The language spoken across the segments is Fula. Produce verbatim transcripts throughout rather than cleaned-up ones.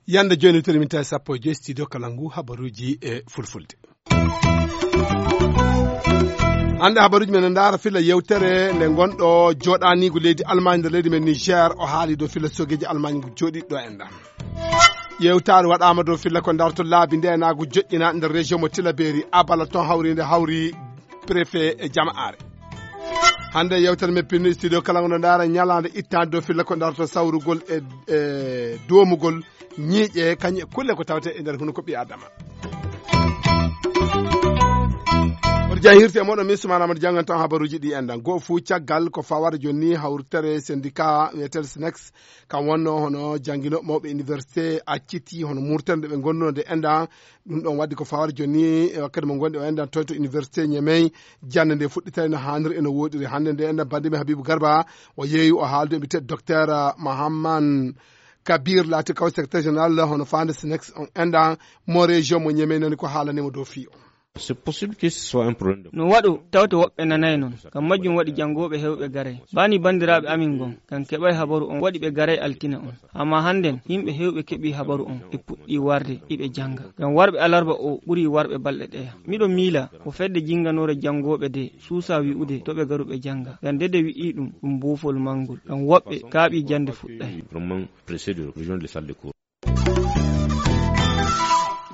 Yande jooni, tiri minti sappo e joy, studio Kalangu, habaruuji e fulfulde. Hannde habaruuji men no ndaara filla yewtere nde ngonɗo jooɗaaniigu leydi Almaañ nder leydi men Niger, o haali dow filla sogeeji Almaañ ngu jooɗiiɗo en ɗam. Yewtaare waɗaama dow filla ko ndarto laabi ndeenaagu joƴƴina nder région mo Tilaberi, Abala, toon hawriinde hawri préfet e jama'aare. Hannde yewtere men pinno studio kala ngo no ndaara ñalaande ittaande dow filla ko ndarto sawrugol e, e doomugol ñiiƴe, kañum e kulle ko tawte e nder hunuko ɓii Adama. Oto jaa hirte e moɗon, min Sumaana Amadou, janngan tan habaruuji ɗi enɗan. Goo fuu caggal ko fawata jooni ni hawritere syndicat wiyeteeɗo SNEX, kam wonno hono jannginooɓe mawɓe université acciti hono murtere nde ɓe ngonno nde enɗan. Ɗum ɗon waddi ko fawata jooni ni e wakkati mo ngonɗen o enɗan toon to université Niamey. Jannde nde fuɗɗitay no haaniri e no wooɗiri. Hannde nde enɗan banndi men Habibou Garba, o yeeyi o haaldu e mbiyetee docteur Mahamman Kabir laati kaw secrétaire général hono faande SNEX on enɗan mo région mo Niamey nani ko haalani mo dow fii o. C'est possible que ce soit un problème de... No waɗo tawte woɓɓe nanay noon. Kam majjum waɗi janngooɓe heewɓe garay. Bani banndiraaɓe amin ngon, kam keɓay habaru on waɗi ɓe garay altine on. Amma hannden, yimɓe heewɓe keɓii habaru on, ɓe puɗɗii warde, iɓe jannga. Ngam warɓe alarba o ɓurii warɓe balɗe ɗeya. Miɗo miila, ko fedde jinnganoore janngooɓe de suusaa wi'ude to ɓe garu ɓe jannga. Ngam de de wi'ii ɗum, ɗum buufol manngol. Ngam woɓɓe kaaɓii jannde fuɗɗay. Vraiment pressé de rejoindre les salles de cours.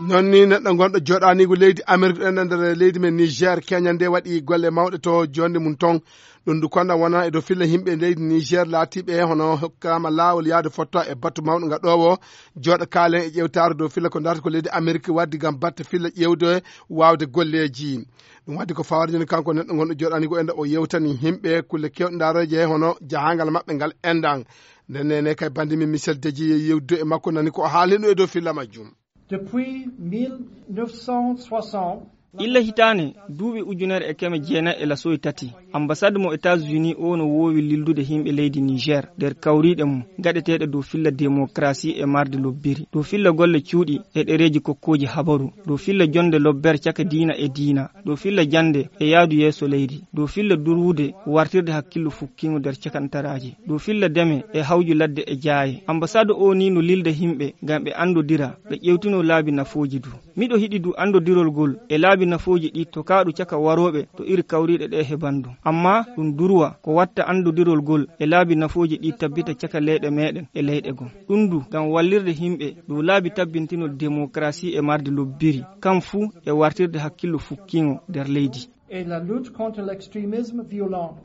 Non ni neɗɗo gonɗo jooɗaaniigu leydi Amerik ɗen nder leydi men Niger, keñal nde waɗi golle mawɗe to jonde mum ton. Ɗum du konda wona e dow filla yimɓe leydi Niger laatiiɓe hono hokkaama laawol yaade fotta e batu mawɗo nga ɗowo. Jooɗo kaalen e ƴewtaare dow filla ko darta ko leydi Amerik waddi ngam batte filla ƴewde waawde golleeji. Ɗum waddi ko fawade joni kanko neɗɗo gonɗo jooɗaaniigu e nde o yewtani yimɓe kulle kewɗe ndaroje hono jahangal maɓɓe ngal enɗan. Nden nene kay bandi min Michel Deji yewdude e makko nani ko o haalino e dow filla majjum. Depuis mille neuf cent soixante, illa hitaande duuɓi ujunere e keme jeenayi e lasoyi tati, ambassade mo États-Unis o no woowi lildude yimɓe leydi Niger nder kawriiɗe mum gaɗeteeɗe dow filla démocratie e marde lobbiri, dow filla golle cuuɗi e ɗereeji kokkooji habaru, dow filla jonde lobber caka diina e diina, dow filla jannde e yaadu yeeso leydi, dow filla durwude wartirde hakkillo fukkiingo nder cakantaraaji, dow filla deme e hawju ladde e jaaye. Ambassade o ni no lilda yimɓe ngam ɓe anndodira, ɓe ƴewtino laabi nafooji du. Miɗo hiɗi du anndodirol gol e laabi nafooji ɗi tokaaɗu caka warooɓe to iri kawriiɗe ɗe hebandu. Amma ɗum durwa ko watta anndodirol gol e laabi nafooji ɗi tabbita caka leyɗe meɗen e leyɗe gom. Ɗum du ngam wallirde yimɓe dow laabi tabbintinol démocratie e marde lobbiri, kam fuu e wartirde hakkillo fukkiingo nder leydi. Et la lutte contre l'extrémisme violent.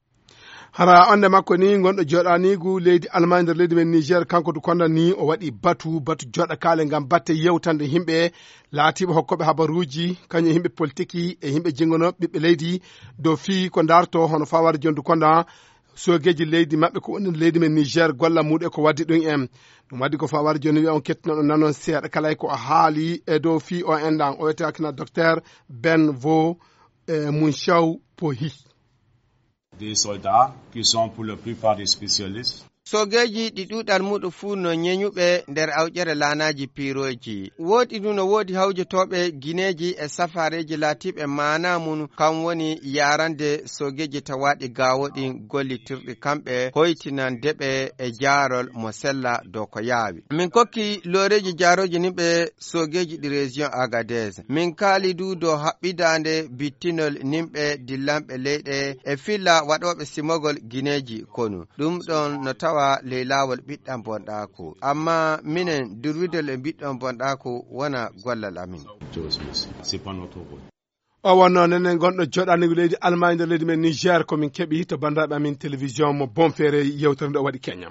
Hara onde makko ni gonɗo jooɗaaniigu leydi Almaañ nder leydi men Niger, kanko du konda ni o waɗi batu, batu jooɗa kaale ngam batte yewtande yimɓe laatiiɓe hokkooɓe habaruuji, kañum e yimɓe politiki e yimɓe jingonooɓe ɓiɓɓe leydi dow fii ko darto hono fawade jondu konda soogeeji leydi maɓɓe ko woni leydi men Niger, golla muuɗum e ko waddi ɗum en. Ɗum waddi ko fawade jooni wiya on kettinoɗo nanon seeɗa kala e ko o haali e dow fii o enɗan. O wiyetee kina docteur Ben Vo, eh, Munchaw Pohi. Des soldats qui sont pour la plupart des spécialistes. Soogeeji ɗi ɗuuɗal muɗum fuu no ñeñuɓe nder awƴere laanaaji piirooji. Woodi ɗum no woodi hawjotooɓe gineeji e safaareeji laatiiɓe maanaa mum kam woni yaarande soogeeji tawaaɗi gaawo ɗin gollitirɗi kamɓe hoytinande ɓe e jaarol mo sella dow ko yaawi. Min kokki looreeji jaarooji nin ɓe soogeeji ɗi région Agadez. Min kaali du dow haɓɓidaande bittinol nimɓe dillanɓe leyɗe e filla waɗooɓe simogol gineeji konu. Ɗum ɗon no tawa ley laawol ɓiɗɗan bonɗaaku. Amma minen durwidol e mbiɗɗon bonɗaaku wona gollal amin. C'est pas notre rôle. O wonno nenen gonɗo jooɗaaniigu leydi Almaañ nder leydi men Niger, ko min keɓi to banndiraaɓe amin télévision mo Bonferré yewtere nde o waɗi Kenya.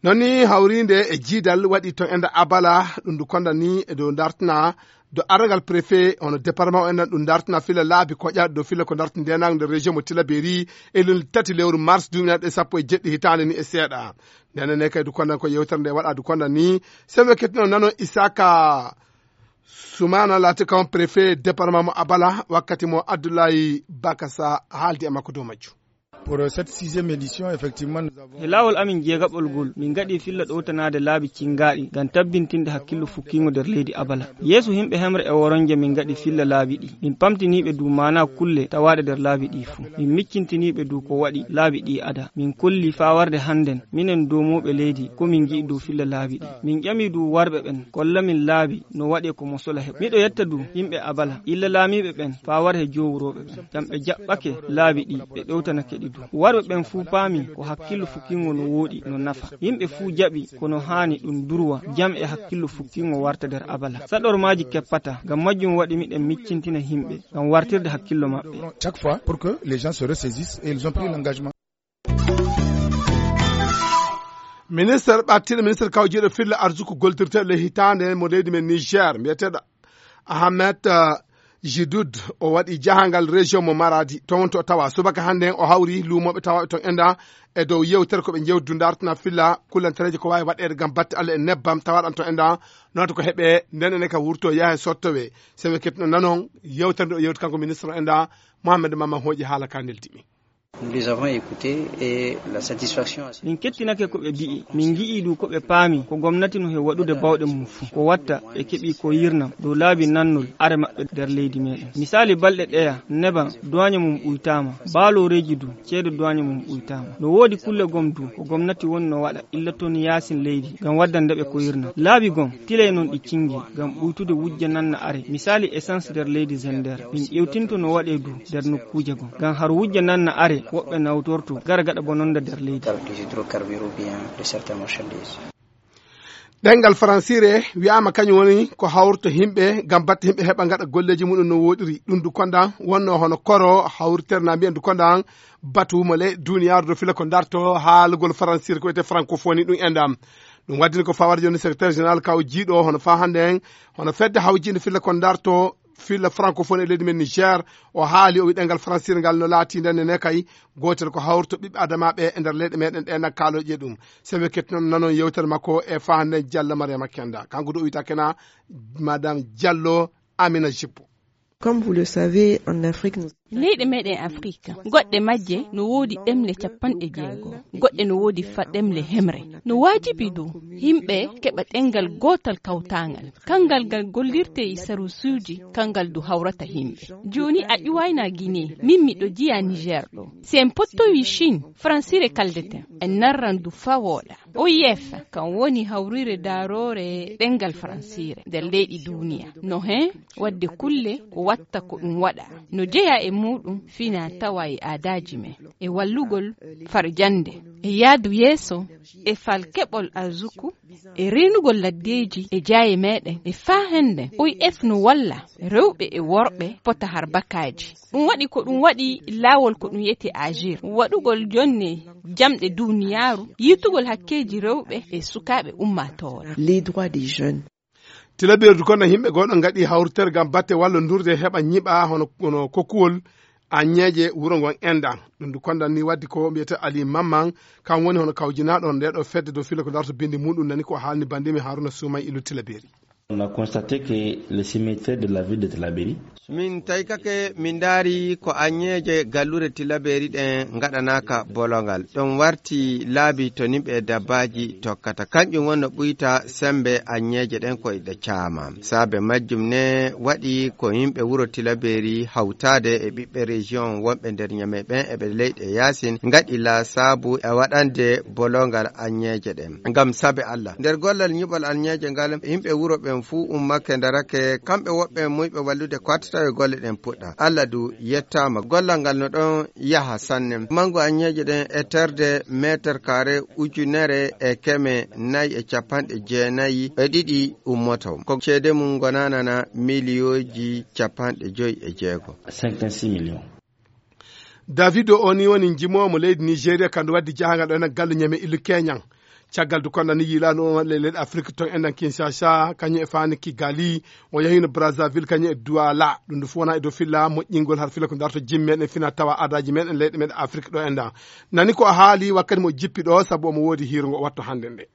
Noon ni hawriinde e jiidal waɗi toon e nder Abala, ɗum ndu konda ni e dow dartina do argal préfet hono département o enɗan ɗum dartina fila laabi koƴa dow fila ko darti ndenaango nder région mo Tilaberi e lewru tati lewru mars duuɓi nayi e sappo e jeɗɗi hitaande ni e seeɗa. Ndenen ne kay du konda ko yewtere nde waɗa du konda ni sembe kettino nano Isaka Sumana laati kam préfet département mo Abala wakkati mo Abdoulaye Bakasa haaldi e makko dow majju. Pour cette sixième édition, effectivement, nous avons... He laawol amin jeegaɓol ngol, min ngaɗi filla ɗowtanaade laabi ciŋgaaɗi ngam tabbintinde hakkillo fukkiingo nder leydi Abala. Yeeso yimɓe hemre e woronje, min ngaɗi filla laabi ɗi. Min pamtiniiɓe dow maanaa kulle tawaaɗe nder laabi ɗi fuu. Min miccintiniiɓe dow ko waɗi laabi ɗi ada. Min kolli faa warde hannden, minen doomooɓe leydi, ko min ngi'i dow filla laabi ɗi. Min ƴami dow warɓe ɓen, kolla min laabi no waɗe ko mo sola heɓa. Miɗo yetta dow yimɓe Abala, illa laamiiɓe ɓen, faa wara he jowrooɓe ɓen. Ngam ɓe jaɓɓake laabi ɗi, ɓe ɗowtanake ɗi dow. Warɓe ɓen fuu paami ko hakkillo fukkiingo no wooɗi, no nafa. Yimɓe fuu jaɓi ko no haani ɗum durwa, jam e hakkillo fukkiingo warta nder Abala. Saɗormaaji keppataa, ngam majjum waɗi miɗen miccintina yimɓe, ngam wartirde hakkillo maɓɓe. Chaque fois, pour que les gens se ressaisissent et ils ont pris l'engagement. Ministre ɓattiiɗo, ministre kawjiiɗo filla arsuku goldirteeɗo ley hitaande mo leydi men Niger, mbiyeteeɗo Ahmed, eh, Jidoud, o waɗi jahangal région mo Maradi, toon wonto o tawa. Subaka hannde o hawri luumooɓe tawaaɓe toon enda e dow yewtere ko ɓe njewdu dartana filla kullantereeje ko waawi waɗeede ngam batte Allah e nebbam tawaaɗam toon enda, noon ko heɓe nden ene ka wurto yaha e sottowe. Sebe ketno nanon yewtere nde o yewti kanko ministre o enda, Mohamed Mama hooƴi haala ka neldi mi. Nous les avons écoutés et la satisfaction a... Min kettinake ko ɓe mbi'i, min ngi'i du ko ɓe paami, ko gomnati no he waɗude bawɗe mum fuu. Ko watta ɓe keɓi ko yirnam dow laabi nannol are maɓɓe nder leydi meɗen. Misali balɗe ɗeya, neban duwaañe mum ɓuytaama, baalooreeji du, ceede duwaañe mum ɓuytaama. No woodi kulle gom du, ko gomnati woni no waɗa, illa toon yaasin leydi, ngam waddande ɓe ko yirnam. Laabi gom, tilay noon ɗi cingi, ngam ɓuytude wujja nanna are. Misali essence nder leydi Zender, min ƴewtinto no waɗe du nder nokkuuje gom. Ngam har wujja nanna are, woɓɓe nawtorto, gara gaɗa bononda nder leydi. Des hydrocarbures ou bien de certaines marchandises. Ɗemngal faransiire wi'aama kañum woni ko hawrata yimɓe ngam batte yimɓe heɓa ngaɗa golleeji mumen no wooɗiri. Ɗum du konda wonno hono koro hawritere na mbiyen du konda batu mo ley duniyaaru do filla ko darto haalugol faransiire ko wiyetee francophonie ɗum enda. Ɗum waddini ko fawar jooni secrétaire général kaw jiiɗo hono faa hannde en, hono fedde hawjiinde filla ko darto filla francophonie e leydi men Niger. O haali, o wi ɗemngal faransiire ngal no laati nden ne kay gootel ko hawrata ɓiɓɓe adamaaɓe e nder leyɗe meɗen ɗe na kaalooje ɗum. Sebe kettinon nanon yewtere makko e faa hannde Diallo Mariama Kenda. Kanko du o wiyata kena Madame Diallo Amina Jippo. Comme vous le savez, en Afrique, nous... Leyɗe meɗen Afrique, goɗɗe majje no woodi ɗemle capanɗe jeego, goɗɗe no woodi fa ɗemle hemre. No waajibi du yimɓe keɓa ɗemngal gootal kawtaangal. Kanngal ngal gollirte e sarusuuji, kanngal du hawrata yimɓe. Jooni a ƴuwayna Guinée, min miɗo jiya Niger ɗo. Si en pottowi Chine, faransiire kaldeten, en narran du faa wooɗa. O I F, kan woni hawriire daaroore ɗemngal faransiire nder leyɗi duniya. No heen waɗde kulle ko watta ko ɗum waɗa. No jeyaa e muuɗum fina tawa e aadaaji men, e wallugol farjannde, e yahdu yeeso, e fal keɓol arsuku, e reenugol laddeeji e jaaye meɗen, e faa hannde O I F no walla rewɓe e worɓe pota harbakaaji. Ɗum waɗi ko ɗum waɗi laawol ko ɗum wiyetee AGIR, waɗugol jonne jamɗe duniyaaru, yiitugol hakkeeji rewɓe e sukaaɓe ummaatoore. Les droits des jeunes. Tilabeeru du konda yimɓe goo ɗo ngaɗi hawritere ngam batte wallondurde heɓa ñiɓa hono, hono kokkuwol aññeeje wuro ngon enda. Ɗum du konda ni waddi ko mbiyetee Ali Mamman, kan woni hono kawjinaaɗo nde ɗo fedde dow filla ko darto bindi muɗum, nani ko haalni banndimi Haruna Suumay Ilu Tilabeeri. On a constaté que le cimetière de la ville de Tilaberi... Min taykake, min ndaari ko aññeeje galluure Tilabeeri ɗen ngaɗanaaka bolongal. Ɗon warti laabi to nimɓe e dabbaaji tokkata. Kanƴum woni no ɓuyta semmbe aññeeje ɗen ko iɗe caama. Saabe majjum ne waɗi ko yimɓe wuro Tilabeeri hawtaade e ɓiɓɓe région wonɓe nder Ñamey ɓen e ɓe leyɗe yaasin ngaɗi laasaabu e waɗande bolongal aññeeje ɗen. Ngam saabe Allah, nder gollal ñiɓol aññeeje ngal, yimɓe wuro ɓen fuu ummake ndarake, kamɓe woɓɓe muyɓe wallude ko hattata e golle ɗen puɗɗa. Allah du yettaama, gollal ngal no ɗon yaha sanne. Manngu aññeeje ɗen e terde meeter kaare ujunere e keme nayi e capanɗe jeenayi e ɗiɗi ummoto. Ko ceede mum ngonaanana miliyooji capanɗe joyi e jeego. Cinquante-six millions. Davido o ni woni njimoowo mo leydi Nigeria, kandu waddi jahangal ɗo ena galle Ñame Ilu Keñan. Caggal du konda ni yiilaano on waɗi leyɗe Afrik toon enen Kinshasa, kañum e faani Kigali, o yahino Brazzaville, kañum e Douala. Ɗum du fof wona e dow filla moƴƴingol har filla ko darto jimmi meɗen fina tawa aadaaji meɗen leyɗe meɗen Afrik ɗo enda. Nani ko o haali wakkati mo jippi ɗo, sabu omo woodi hiirungo o watto hannde nde.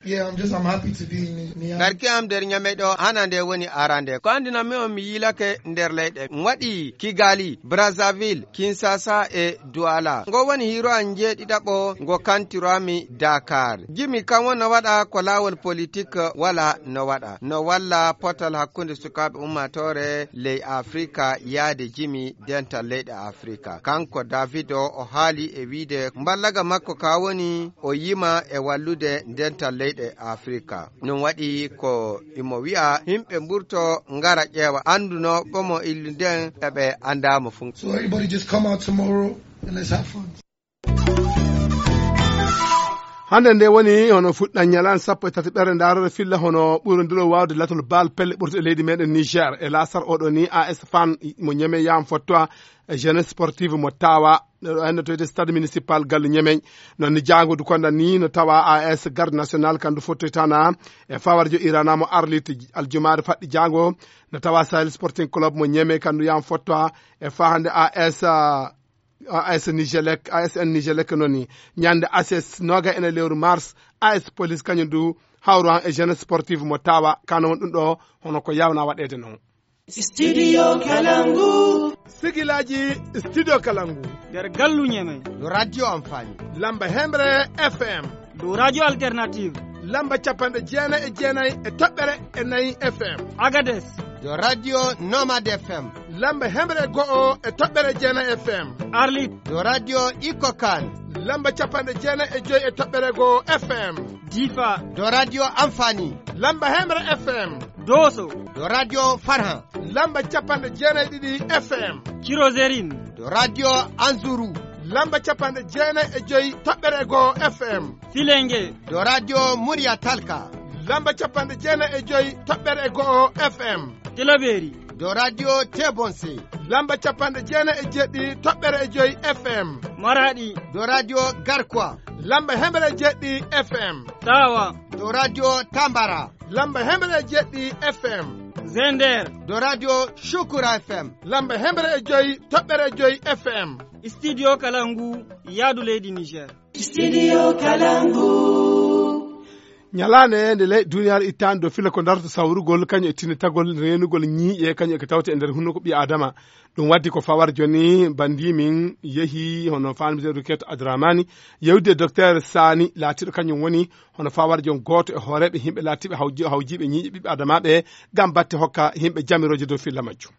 Yeah, I'm just, I'm happy to be in Niamey. Garki am nder Niamey ɗo, hana nde woni arande. Ko anndinanmi on, mi yiilake nder leyɗe. Mi waɗi Kigali, Brazzaville, Kinshasa e Douala. Ngo woni hiiro am njeeɗiɗaɓo ngo kantiroami Dakar. Jimi kam won no waɗa ko laawol politik wala no waɗa. No walla potal hakkunde sukaaɓe ummaatoore ley Afrika yaade jimi dental leyɗe Afrika. Kanko David o, o haali e wiide mballaga makko ka woni o yima e wallude dental leyɗe Afrika. Ɗum waɗi ko imo wi'a yimɓe mburto ngara ƴeewa annduno ɓomo illu nden e ɓe anndaamo fuu. So everybody just come out tomorrow and let's have fun. Hannde nde woni hono fuɗɗan ñalan sappo e tati ɓere ndaarore filla hono ɓurondiro waawde latol baal pelle ɓurte e leydi meɗen Niger. E laasar oɗo ni A S Fan mo Ñeme yam fottoa e jeunesse sportive mo tawa ɗo ennotoyde stade municipal galle Ñeme. Noon ni jaango du konda ni no tawa A S garde national kandu fottoytana e fawarjo irana mo arlit aljumaare faɗɗi jaango. No tawa Sahel Sporting Club mo Ñeme kandu yam fottoa e fa hannde A S, ah, A S Nigelec, A S N Nigelec noon ni. Ñande A S noga ene lewru mars, A S Police kañum du hawro han e jeunesse sportive mo tawa kano won ɗum ɗo hono ko yawna waɗede noon. Studio Kalangu. Sigilaji Studio Kalangu. Nder gallu Ñeme. Ɗo radio amfani. Lamba hemre F M. Ɗo radio alternative. Lamba capanɗe jeenayi e jeenayi e toɓɓere e nayi F M. Agades. Ɗo radio Nomad F M. Lamba hemre go'o e toɓɓere jeenayi F M. Arlit. Ɗo radio Ikokan. Lamba capanɗe jeenayi e joyi e toɓɓere go'o F M. Difa. Ɗo radio Amfani. Lamba hemre F M. Doso. Ɗo radio Farhan. Lamba capanɗe jeenayi e ɗiɗi F M. Cirozerin. Ɗo radio Anzuru. Lamba capanɗe jeenayi e joyi toɓɓere go'o F M. Filenge. Ɗo radio Murya Talka. Lamba capanɗe jeenayi e joyi toɓɓere go'o F M. Tilaberi. Ɗo radio Tebonse. Lamba capanɗe jeenayi e jeɗɗi toɓɓere e joyi F M. Maradi. Ɗo radio Garkwa. Lamba hemre e jeɗɗi F M. Tawa. Ɗo radio Tambara. Lamba hemre e jeɗɗi F M. Zender. Ɗo radio Shukura F M. Lamba hemre e joyi toɓɓere e joyi F M. Studio Kalangu, yaadu leydi Niger. Studio Kalangu. Ñalaande nde ley duniyaaru ittaani do fila ko darto sawrugol, kañum e tinnitagol reenugol ñiiƴe, kañum e ko tawte e nder hunuko ɓii Aadama. Ɗum waddi ko fawar jooni banndi min yehi hono Fann Misère Roquette Adramani, yewde Docteur Sani, laatiiɗo kañum woni hono fawar joon gooto e hooreeɓe yimɓe laatiiɓe hawji-, hawjiiɓe ñiiƴe ɓiɓɓe Aadama ɓe, ngam batte hokka yimɓe jamirooje dow filla majjum.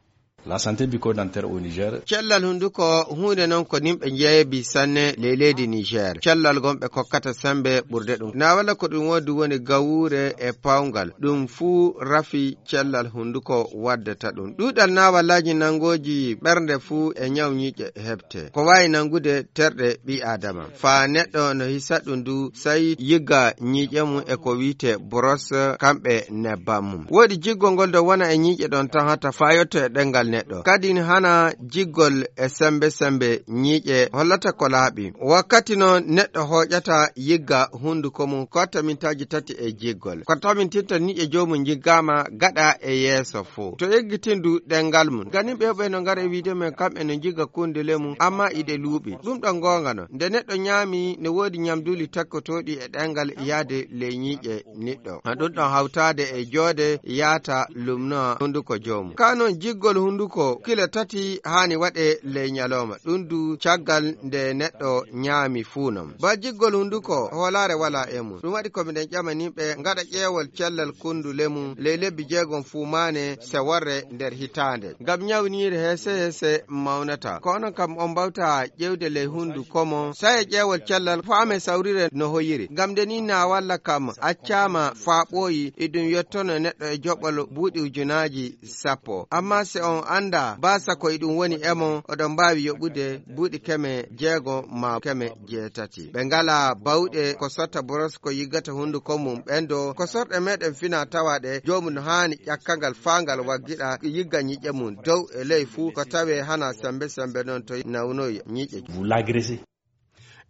La santé bucco-dentaire au Niger. Cellal hunnduko huunde non ko nimɓe njeebi sanne ley leydi Niger. Cellal gonɓe kokkata sembe ɓurde ɗum. Na walla ko ɗum wodi woni gawuure e pawngal. Ɗum fuu rafi cellal hunnduko waddata ɗum. Ɗuuɗal naawalaaji nangooji ɓernde fuu e ñaw ñiiƴe heɓte. Ko waawi nangude terɗe ɓii Aadama. Faa neɗɗo no hisa ɗum du, sai yigga ñiiƴe mum e ko wi'etee boros kamɓe nebbam mum. Woodi jiggol ngol do wona e ñiiƴe ɗon tan hata faa yotto e ɗemngal neɗɗo. Kadin hana jiggol e sembe sembe ñiiƴe hollata ko laaɓi. Wakkati non neɗɗo hooƴata yigga hunnduko mum ko watta mintaaji tati e jiggol. Ko tamintinta ñiiƴe joomum jiggaama gaɗa e yeeso fuu. To eggitindu ɗemngal mum. Ganin ɓe ɓe no ngara e wiide men kamɓe no jigga kundule mum, amma iɗe luuɓi. Ɗum ɗon goonga non. Nde neɗɗo ñaami, ne woodi ñamduuli takkotooɗi e ɗemngal yaade ley ñiiƴe niɗɗo. Ɗum ɗon hawtaade e joode yaata lumno hunnduko joomum. Kaa non jiggol hunnduko kile tati haani waɗe ley ñalooma. Ɗum du caggal nde neɗɗo ñaami fuu non. Ba jiggol hunnduko hoolaare walaa e mum. Ɗum waɗi ko miɗen ƴama nimɓe ngaɗa ƴeewol cellal kundule mum ley lebbi jeegom fuu maane seworre nder hitaande. Ngam ñawniire heese heese mawnata. Ko onon kam on mbawta ƴeewde ley hunnduko mon. Saye ƴeewol cellal faame sawrire no hoyiri. Ngam nde nii na walla kam accaama faa ɓooyi, iɗum yottono neɗɗo e joɓol buuɗi ujunaaji sappo. Amma si on anndaa baasa ko iɗum woni e mon, oɗon mbaawi yoɓude buuɗi keme jeego maa keme jeetati. Ɓe ngalaa bawɗe ko sotta boros ko yiggata hunnduko mum ɓenndo. Ko sorɗe meɗen fina tawa ɗe, joomum no haani ƴakkangal faa ngal waggiɗa yigga ñiiƴe mum dow e ley fuu ko tawee hana sembe sembe non to nawnoyi ñiiƴe. Vous l'agressez.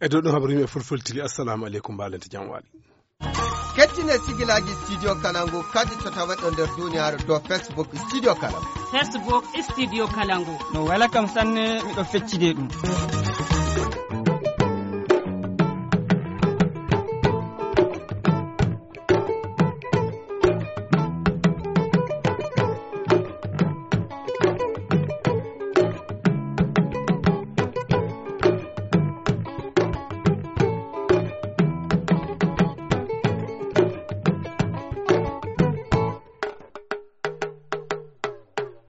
E dow ɗum habaru yimɓe fulfulde tigi, assalamu aleykum, mbaalente jam waali. Kettine sigilaaji Studio Kalangu kadi to taweɗo nder duniyaaru dow Facebook Studio Kalangu. Facebook Studio Kalangu. No wela kam sanne, miɗo feccide ɗum.